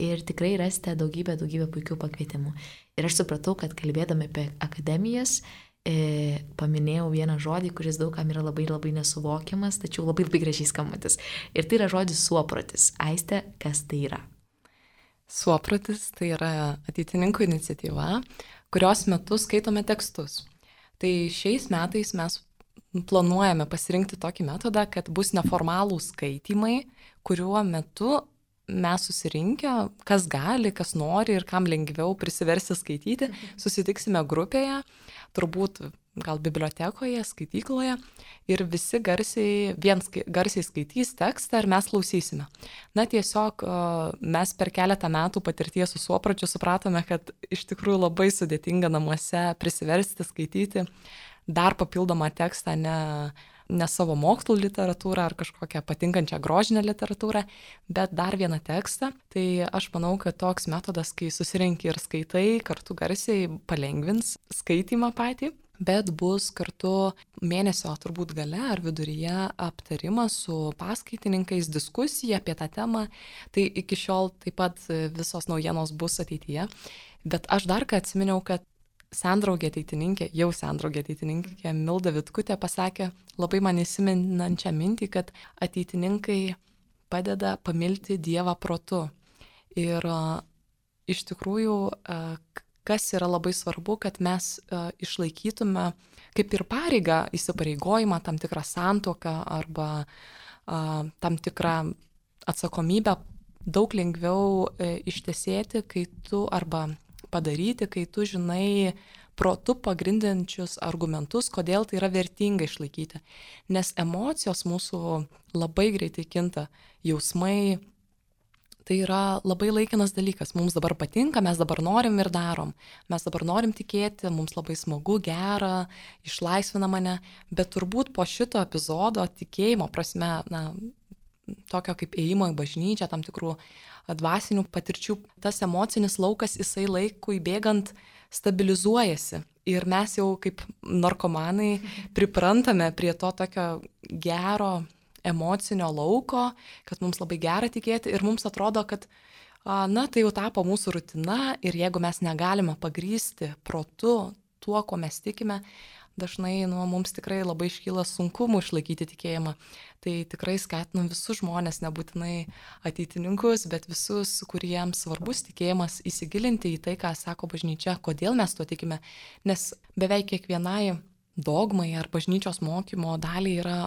ir tikrai rasite daugybę puikių pakvietimų. Ir aš supratau, kad kalbėdami apie akademijas, paminėjau vieną žodį, kuris daugam yra labai nesuvokiamas, tačiau labai gražiai skambantis. Ir tai yra žodis suoprotis. Aiste, kas tai yra? Suoprotis tai yra ateitininkų iniciatyva, kurios metu skaitome tekstus. Tai šiais metais mes planuojame pasirinkti tokį metodą, kad bus neformalūs skaitymai, kuriuo metu mes susirinkę, kas gali, kas nori ir kam lengviau prisiversti skaityti, susitiksime grupėje, turbūt gal bibliotekoje, skaitykloje ir visi garsiai skaitys tekstą ir mes klausysime. Na tiesiog mes per keletą metų patirties su Suopračiu supratome, kad iš tikrųjų labai sudėtinga namuose prisiversti skaityti dar papildomą tekstą, ne savo mokslų literatūrą ar kažkokią patinkančią grožinę literatūrą, bet dar vieną tekstą. Tai aš manau, kad toks metodas, kai susirenki ir skaitai, kartu garsiai palengvins skaitymą patį. Bet bus kartu mėnesio turbūt gale ar viduryje aptarimas su paskaitininkais, diskusija apie tą temą. Tai iki šiol taip pat visos naujienos bus ateityje. Bet aš dar ką atsiminiau, kad sendraugė ateitininkė Milda Vitkutė pasakė labai man įsiminančią mintį, kad ateitininkai padeda pamilti Dievą protu. Ir iš tikrųjų kas yra labai svarbu, kad mes išlaikytume kaip ir pareigą, įsipareigojimą, tam tikrą santuoką arba tam tikrą atsakomybę daug lengviau ištesėti, kai tu arba padaryti, kai tu žinai protu pagrindinčius argumentus, kodėl tai yra vertinga išlaikyti. Nes emocijos mūsų labai greitai kinta, jausmai. Tai yra labai laikinas dalykas. Mums dabar patinka, mes dabar norim ir darom. Mes dabar norim tikėti, mums labai smagu, gera, išlaisvina mane. Bet turbūt po šito epizodo tikėjimo prasme, tokio kaip ėjimo į bažnyčią, tam tikrų dvasinių patirčių, tas emocinis laukas, jisai laikui bėgant stabilizuojasi. Ir mes jau kaip narkomanai priprantame prie to tokio gero emocinio lauko, kad mums labai gera tikėti ir mums atrodo, kad tai jau tapo mūsų rutina ir jeigu mes negalime pagrįsti protu tuo, ko mes tikime, dažnai mums tikrai labai iškyla sunkumų išlaikyti tikėjimą. Tai tikrai skatinu visus žmonės, nebūtinai ateitininkus, bet visus, kuriems svarbus tikėjimas, įsigilinti į tai, ką sako bažnyčia, kodėl mes tuo tikime, nes beveik kiekvienai dogmai ar bažnyčios mokymo daliai yra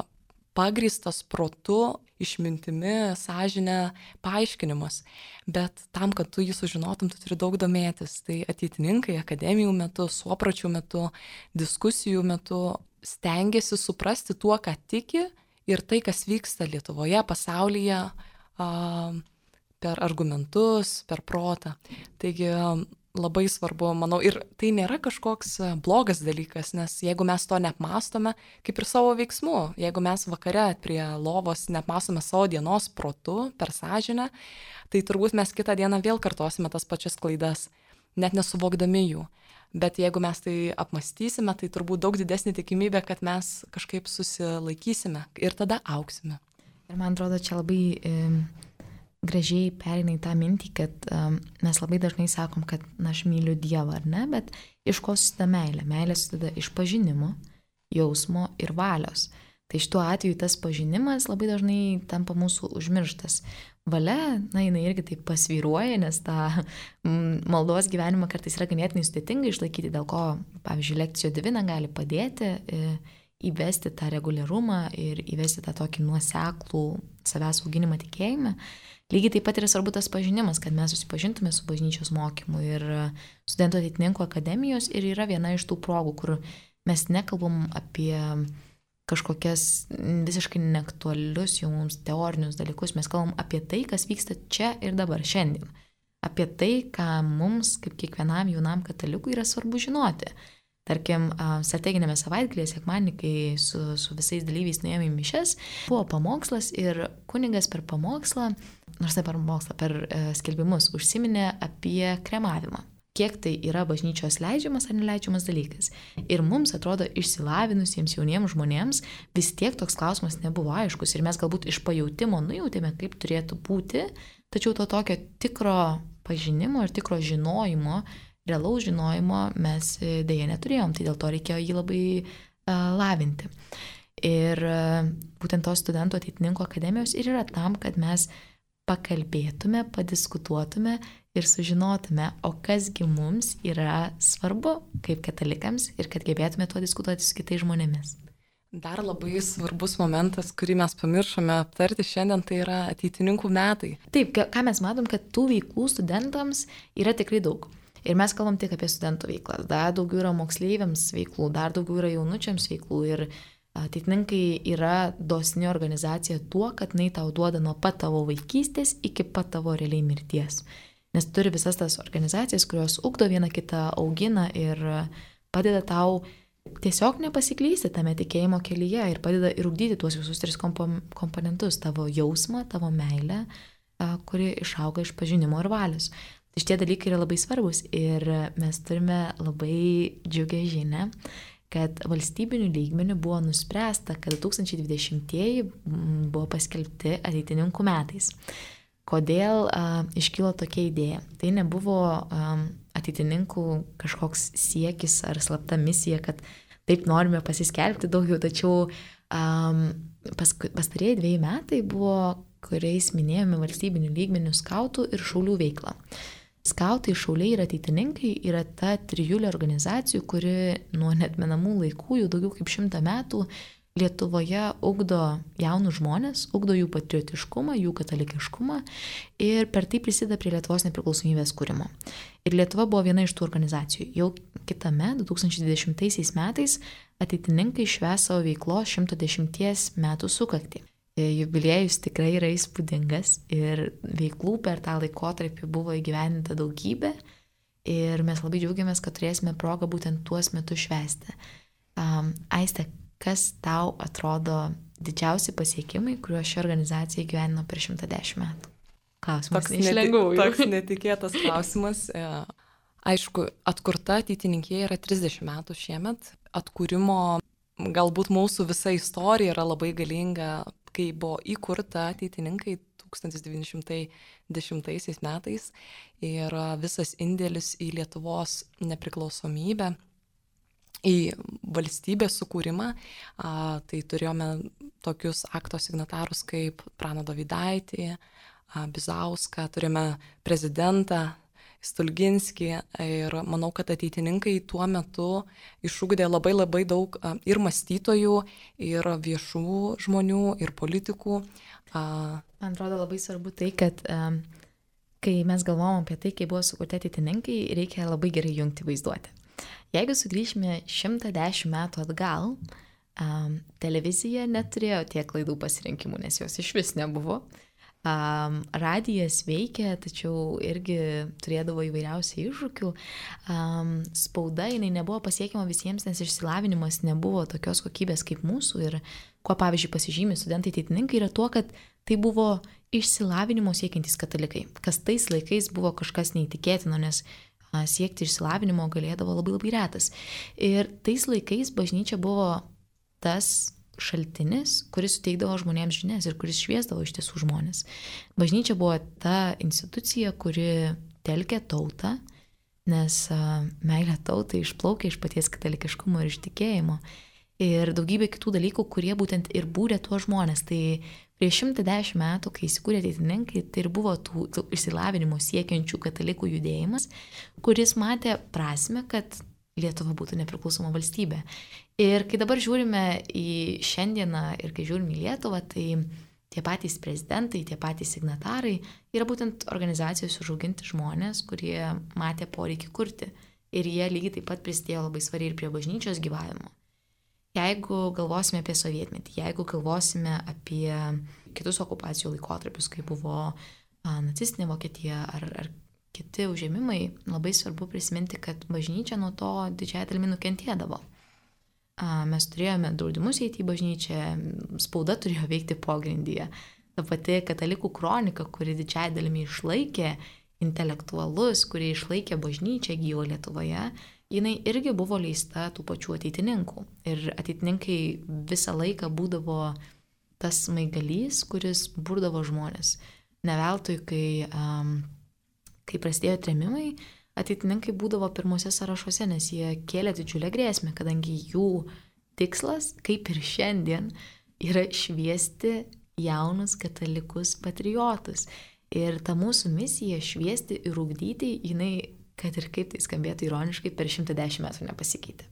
pagrįstas protu, išmintimi, sąžine paaiškinimas. Bet tam, kad tu jį sužinotum, tu turi daug domėtis. Tai ateitininkai akademijų metu, Suopračių metu, diskusijų metu stengiasi suprasti tuo, ką tiki ir tai, kas vyksta Lietuvoje, pasaulyje, per argumentus, per protą. Taigi labai svarbu, manau, ir tai nėra kažkoks blogas dalykas, nes jeigu mes to neapmastome, kaip ir savo veiksmų, jeigu mes vakare prie lovos neapmastome savo dienos protu, per sąžinę, tai turbūt mes kitą dieną vėl kartosime tas pačias klaidas, net nesuvokdami jų. Bet jeigu mes tai apmastysime, tai turbūt daug didesnė tikimybė, kad mes kažkaip susilaikysime ir tada auksime. Ir man atrodo, čia labai gražiai pereina į tą mintį, kad mes labai dažnai sakom, kad aš myliu Dievą, ar ne, bet iš ko susideda meilė? Meilė susideda iš pažinimo, jausmo ir valios. Tai šituo atveju tas pažinimas labai dažnai tampa mūsų užmirštas. Valia, jinai irgi taip pasvyruoja, nes tą maldos gyvenimą kartais yra ganėtinai sudėtinga išlaikyti, dėl ko, pavyzdžiui, lekcijų divina gali padėti įvesti tą reguliarumą ir įvesti tą tokį nuoseklų savęs auginimą tikėjime. Lygiai taip pat yra svarbu tas pažinimas, kad mes susipažintume su bažnyčios mokymu ir studentų ateitininkų akademijos ir yra viena iš tų progų, kur mes nekalbam apie kažkokias visiškai neaktualius jau mums teorinius dalykus, mes kalbam apie tai, kas vyksta čia ir dabar, šiandien. Apie tai, ką mums, kaip kiekvienam jaunam katalikui, yra svarbu žinoti. Tarkim, strateginėme savaitgalėje, sekmadienį, kai su visais dalyviais nuėjome į mišias, buvo pamokslas ir kunigas per pamokslą, nors ne per pamokslą, per skelbimus užsiminė apie kremavimą. Kiek tai yra bažnyčios leidžiamas ar neleidžiamas dalykas. Ir mums atrodo išsilavinusiems jauniems žmonėms vis tiek toks klausimas nebuvo aiškus ir mes galbūt iš pajautimo nujautėme, kaip turėtų būti, tačiau to tokio tikro pažinimo ir tikro žinojimo, realaus žinojimo mes dėja neturėjom, tai dėl to reikėjo jį labai lavinti. Ir būtent tos studentų ateitininkų akademijos ir yra tam, kad mes pakalbėtume, padiskutuotume ir sužinotume, o kasgi mums yra svarbu kaip katalikams ir kad gebėtume tuo diskutuoti su kitais žmonėmis. Dar labai svarbus momentas, kurį mes pamiršome aptarti šiandien, tai yra ateitininkų metai. Taip, ką mes matom, kad tų veiklų studentams yra tikrai daug. Ir mes kalbam tik apie studentų veiklas. Dar daugiau yra moksleiviams veiklų, dar daugiau yra jaunučiams veiklų. Ir ateitininkai yra dosni organizacija tuo, kad jinai tau duoda nuo pat tavo vaikystės iki pat tavo realiai mirties. Nes turi visas tas organizacijas, kurios ugdo vieną kitą, augina ir padeda tau tiesiog nepasiklysti tame tikėjimo kelyje ir padeda ir ugdyti tuos visus 3 komponentus - tavo jausmą, tavo meilę, kuri išauga iš pažinimo ir valios. Tai šitie dalykai yra labai svarbus ir mes turime labai džiugę žinią, kad valstybinių lygmenių buvo nuspręsta, kad 2020-ieji buvo paskelbti ateitininkų metais. Kodėl iškilo tokia idėja? Tai nebuvo ateitininkų kažkoks siekis ar slapta misija, kad taip norime pasiskelbti daugiau, tačiau pastarieji 2 metai buvo, kuriais minėjome valstybinių lygmenių skautų ir šaulių veiklą. Skautai, šauliai ir ateitininkai yra ta trijulė organizacijų, kuri nuo neatmenamų laikų, jau daugiau kaip 100 metų, Lietuvoje ugdo jaunus žmonės, ugdo jų patriotiškumą, jų katalikiškumą ir per tai prisideda prie Lietuvos nepriklausomybės kūrimo. Ir Lietuva buvo viena iš tų organizacijų. Jau kitame 2020 metais ateitininkai švęs savo veiklos 110 metų sukaktį. Jubiliejus tikrai yra įspūdingas ir veiklų per tą laikotarpį buvo įgyvendinta daugybė ir mes labai džiaugiamės, kad turėsime progą būtent tuos metus švęsti. Aiste, kas tau atrodo didžiausi pasiekimai, kuriuos ši organizacija įgyvendino per 110 metų? Klausimas neišlengvųjų. Toks netikėtas klausimas. Aišku, atkurta ateitininkija yra 30 metų šiemet. Atkūrimo galbūt mūsų visa istorija yra labai galinga, kai buvo įkurta ateitininkai 1910 metais ir visas indėlis į Lietuvos nepriklausomybę, į valstybės sukūrimą, tai turėjome tokius akto signatarus kaip Praną Dovydaitį, Bizauską, turėjome prezidentą Stulginskį ir manau, kad ateitininkai tuo metu išugdė labai daug ir mąstytojų, ir viešų žmonių, ir politikų. Man atrodo labai svarbu tai, kad kai mes galvom apie tai, kai buvo sukurti ateitininkai, reikia labai gerai jungti vaizduotę. Jeigu sugrįžime 110 metų atgal, televizija neturėjo tiek laidų pasirinkimų, nes jos iš vis nebuvo. Radijas veikė, tačiau irgi turėdavo įvairiausių iššūkių. Spauda, jinai nebuvo pasiekiama visiems, nes išsilavinimas nebuvo tokios kokybės kaip mūsų. Ir kuo, pavyzdžiui, pasižymi studentai ateitininkai yra tuo, kad tai buvo išsilavinimo siekiantys katalikai, kas tais laikais buvo kažkas neįtikėtino, nes siekti išsilavinimo galėdavo labai retas. Ir tais laikais bažnyčia buvo tas šaltinis, kuris suteikdavo žmonėms žinias ir kuris šviesdavo iš tiesų žmonės. Bažnyčia buvo ta institucija, kuri telkė tautą, nes meilė tautai išplaukė iš paties katalikiškumo ir iš tikėjimo. Ir daugybė kitų dalykų, kurie būtent ir būrė tuos žmonės. Tai prieš 110 metų, kai įsikūrė ateitininkai, tai ir buvo tų išsilavinimo siekiančių katalikų judėjimas, kuris matė prasmę, kad Lietuva būtų nepriklausoma valstybė. Ir kai dabar žiūrime į šiandieną ir kai žiūrime į Lietuvą, tai tie patys prezidentai, tie patys signatarai yra būtent organizacijos užauginti žmonės, kurie matė poreikį kurti. Ir jie lygiai taip pat prisidėjo labai svariai ir prie bažnyčios gyvavimo. Jeigu galvosime apie sovietmetį, jeigu galvosime apie kitus okupacijų laikotarpius, kai buvo nacistinė Vokietija ar kiti užėmimai, labai svarbu prisiminti, kad bažnyčia nuo to didžiąją dalimi nukentėdavo. Mes turėjome draudimus eiti į bažnyčią, spauda turėjo veikti pogrindyje. Ta pati katalikų kronika, kuri didžiąją dalimi išlaikė intelektualus, kurie išlaikė bažnyčią gyvą Lietuvoje, jinai irgi buvo leista tų pačių ateitininkų. Ir ateitininkai visą laiką būdavo tas smaigalys, kuris burdavo žmonės. Ne veltui, kai prasidėjo trėmimai, ateitininkai būdavo pirmose sąrašuose, nes jie kėlė didžiulę grėsmę, kadangi jų tikslas, kaip ir šiandien, yra šviesti jaunus katalikus patriotus. Ir ta mūsų misija šviesti ir ugdyti, jinai, kad ir kaip tai skambėtų ironiškai, per 110 metų nepasikeitė.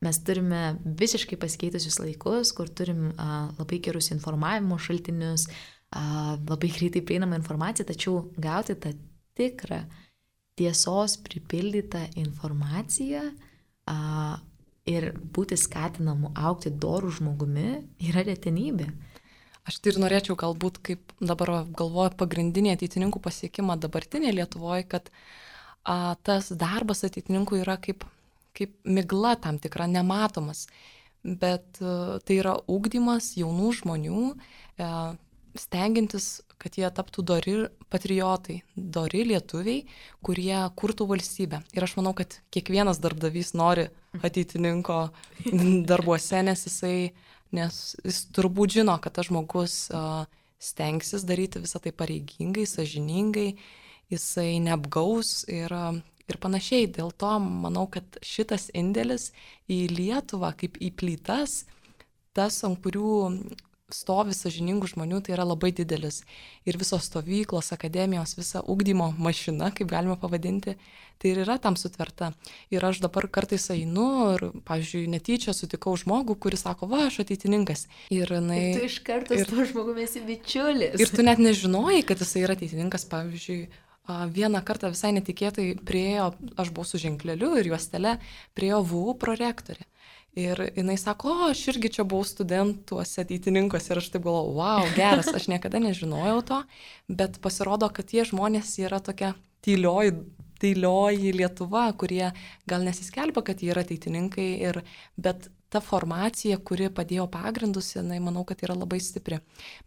Mes turime visiškai pasikeitusius laikus, kur turim labai gerus informavimo šaltinius, labai greitai prieinamą informaciją, tačiau gauti tą tikrą tiesos pripildytą informaciją ir būti skatinamu augti dorų žmogumi yra retenybė. Aš tai ir norėčiau galbūt, kaip dabar galvoju, pagrindinį ateitininkų pasiekimą dabartinėje Lietuvoje, kad tas darbas ateitininkų yra kaip migla tam tikra, nematomas, bet tai yra ugdymas jaunų žmonių, stengiantis, kad jie taptų dori patriotai, dori lietuviai, kurie kurtų valstybę. Ir aš manau, kad kiekvienas darbdavys nori ateitininko darbuose, nes jis turbūt žino, kad tas žmogus stengsis daryti visą tai pareigingai, sąžiningai, jisai neapgaus ir panašiai. Dėl to manau, kad šitas indėlis į Lietuvą kaip į plytas, tas, ant kurių stovi sąžiningų žmonių, tai yra labai didelis. Ir visos stovyklos, akademijos, visa ugdymo mašina, kaip galima pavadinti, tai ir yra tam sutverta. Ir aš dabar kartais einu ir, pavyzdžiui, netyčia sutikau žmogų, kuris sako, va, aš ateitininkas. Ir tu iš karto su tuo žmogumi esi bičiulis. Ir tu net nežinojai, kad jisai yra ateitininkas. Pavyzdžiui, vieną kartą visai netikėtai priejo, aš buvau su ženkleliu ir juostele, priejo VU prorektorė. Ir jinai sako, aš irgi čia buvau studentuose ateitininkuose ir aš taip galvoju, wow, geras, aš niekada nežinojau to, bet pasirodo, kad tie žmonės yra tokia tylioji Lietuva, kurie gal nesiskelbia, kad jie yra ateitininkai, bet ta formacija, kuri padėjo pagrindus, jinai, manau, kad yra labai stipri.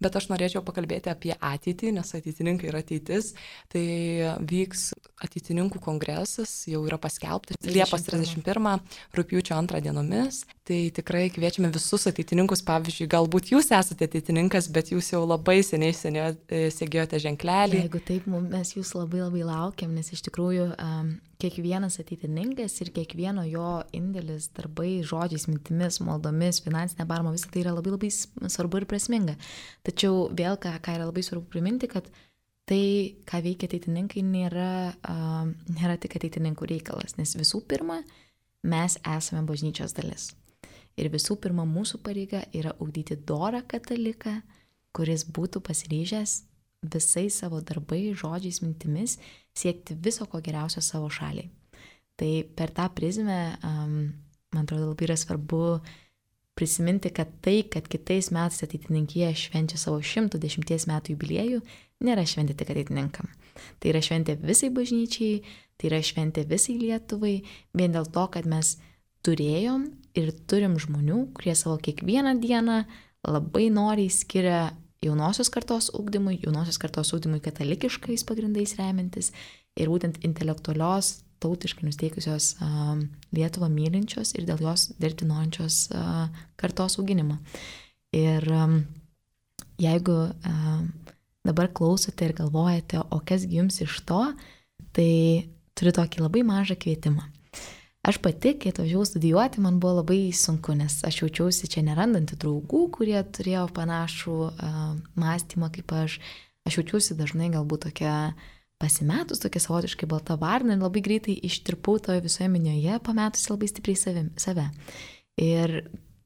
Bet aš norėčiau pakalbėti apie ateitį, nes ateitininkai yra ateitis. Tai vyks ateitininkų kongresas, jau yra paskelbtas Liepos 31, rugpjūčio 2 dienomis. Tai tikrai kviečiame visus ateitininkus, pavyzdžiui, galbūt jūs esate ateitininkas, bet jūs jau labai seniai segėjote ženklelį. Jeigu taip, mes jūs labai laukiam, nes iš tikrųjų kiekvienas ateitininkas ir kiekvieno jo indėlis, darbai, žodžiais, mintimis, maldomis, finansinė parama, visą tai yra labai svarbu ir prasminga. Tačiau vėl, ką yra labai svarbu priminti, kad tai, ką veikia ateitininkai, nėra tik ateitininkų reikalas, nes visų pirma, mes esame bažnyčios dalis. Ir visų pirma, mūsų pareiga yra ugdyti dorą kataliką, kuris būtų pasiryžęs visais savo darbai, žodžiais, mintimis siekti viso ko geriausio savo šaliai. Tai per tą prizmę, man atrodo, labai yra svarbu prisiminti, kad tai, kad kitais metais ateitininkija švenčia savo 110 metų jubiliejų, nėra šventė tik ateitininkam. Tai yra šventė visai bažnyčiai, tai yra šventė visai Lietuvai, vien dėl to, kad mes turėjom ir turim žmonių, kurie savo kiekvieną dieną labai noriai skiria jaunosios kartos ugdymui katalikiškais pagrindais remiantis ir būtent intelektualios, tautiškai nusteikusios Lietuvą mylinčios ir dėl jos dirbti norinčios kartos auginimą. Ir jeigu dabar klausote ir galvojate, o kasgi jums iš to, tai turiu tokį labai mažą kvietimą. Aš pati, kai atvažiavau studijuoti, man buvo labai sunku, nes aš jaučiausi čia nerandanti draugų, kurie turėjo panašų mąstymą kaip aš. Aš jaučiausi dažnai galbūt tokia pasimetus, tokia savotiškai balta varna ir labai greitai ištirpau toje visoje minioje, pametusi labai stipriai save. Ir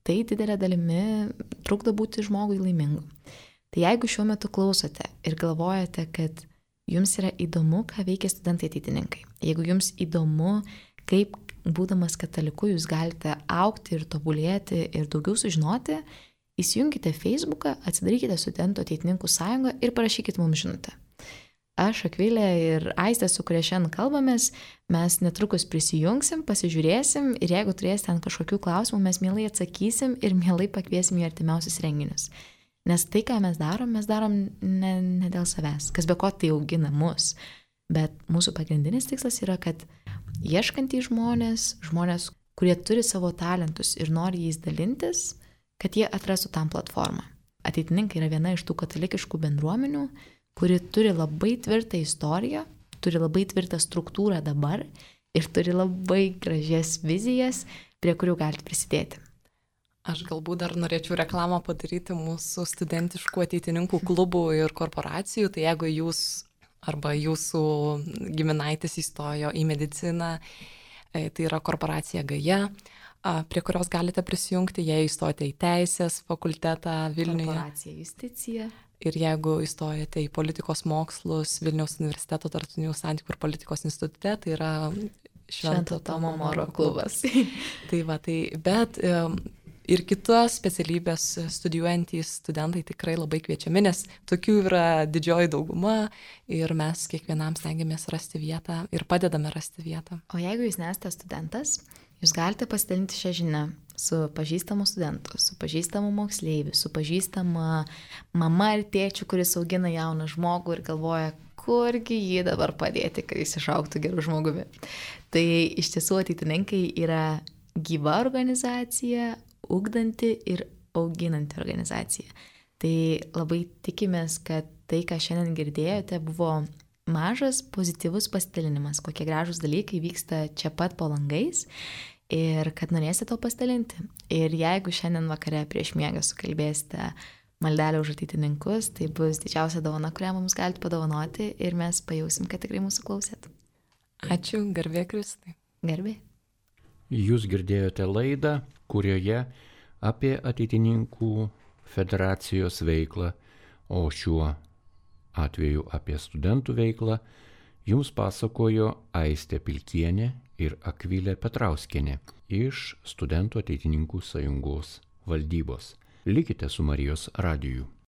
tai didelė dalimi trukdo būti žmogui laimingu. Tai jeigu šiuo metu klausote ir galvojate, kad jums yra įdomu, ką veikia studentai ateitininkai, jeigu jums įdomu, kaip būdamas kataliku jūs galite augti ir tobulėti ir daugiau sužinoti, įsijunkite Facebooką, atsidarykite Studentų ateitininkų sąjungą ir parašykite mums žinutę. Aš, Akvilė ir Aistė, su kuria šiandien kalbamės, mes netrukus prisijungsim, pasižiūrėsim ir jeigu turėsite ten kažkokių klausimų, mes mielai atsakysim ir mielai pakviesim į artimiausius renginius. Nes tai, ką mes darom ne dėl savęs, kas be ko tai augina mus. Bet mūsų pagrindinis tikslas yra, kad ieškantys žmonės, kurie turi savo talentus ir nori jais dalintis, kad jie atrastų tam platformą. Ateitininkai yra viena iš tų katalikiškų bendruomenių, kuri turi labai tvirtą istoriją, turi labai tvirtą struktūrą dabar ir turi labai gražias vizijas, prie kurių galite prisidėti. Aš galbūt dar norėčiau reklamą padaryti mūsų studentiškų ateitininkų klubų ir korporacijų, tai jeigu jūs arba jūsų giminaitis įstojo į mediciną, Tai yra korporacija Gaja, prie kurios galite prisijungti, jei įstojate į Teisės fakultetą Vilniuje. Korporacija Justicija. Ir jeigu įstojate į politikos mokslus Vilniaus universiteto tarptautinių santykių ir politikos institute, tai yra Švento Tomo Moro klubas. Bet ir kitos specialybės studijuojantys studentai tikrai labai kviečiami, nes tokių yra didžioji dauguma ir mes kiekvienam stengiamės rasti vietą ir padedame rasti vietą. O jeigu jūs nesate studentas, jūs galite pasidalinti šią žinią su pažįstamu studentu, su pažįstamu moksleiviu, su pažįstama mama ir tėčiu, kuris augina jauną žmogų ir galvoja, kurgi jį dabar padėti, kad jis išaugtų gerų žmogumi. Tai iš tiesų ateitininkai yra gyva organizacija, ugdanti ir auginanti organizacija. Tai labai tikimės, kad tai, ką šiandien girdėjote, buvo mažas pozityvus pasidalinimas, kokie gražūs dalykai vyksta čia pat po langais ir kad norėsite to pasidalinti. Ir jeigu šiandien vakare prieš miegą sukalbėsite maldelę už ateitininkus, tai bus didžiausia dovana, kurią mums galite padovanoti ir mes pajausim, kad tikrai mūsų klausėt. Ačiū, garbė Kristai. Garbė. Jūs girdėjote laidą, kurioje apie ateitininkų federacijos veiklą, o šiuo atveju apie studentų veiklą, jums pasakojo Aistė Pilkienė ir Akvilė Petrauskienė iš Studentų ateitininkų sąjungos valdybos. Likite su Marijos radiju.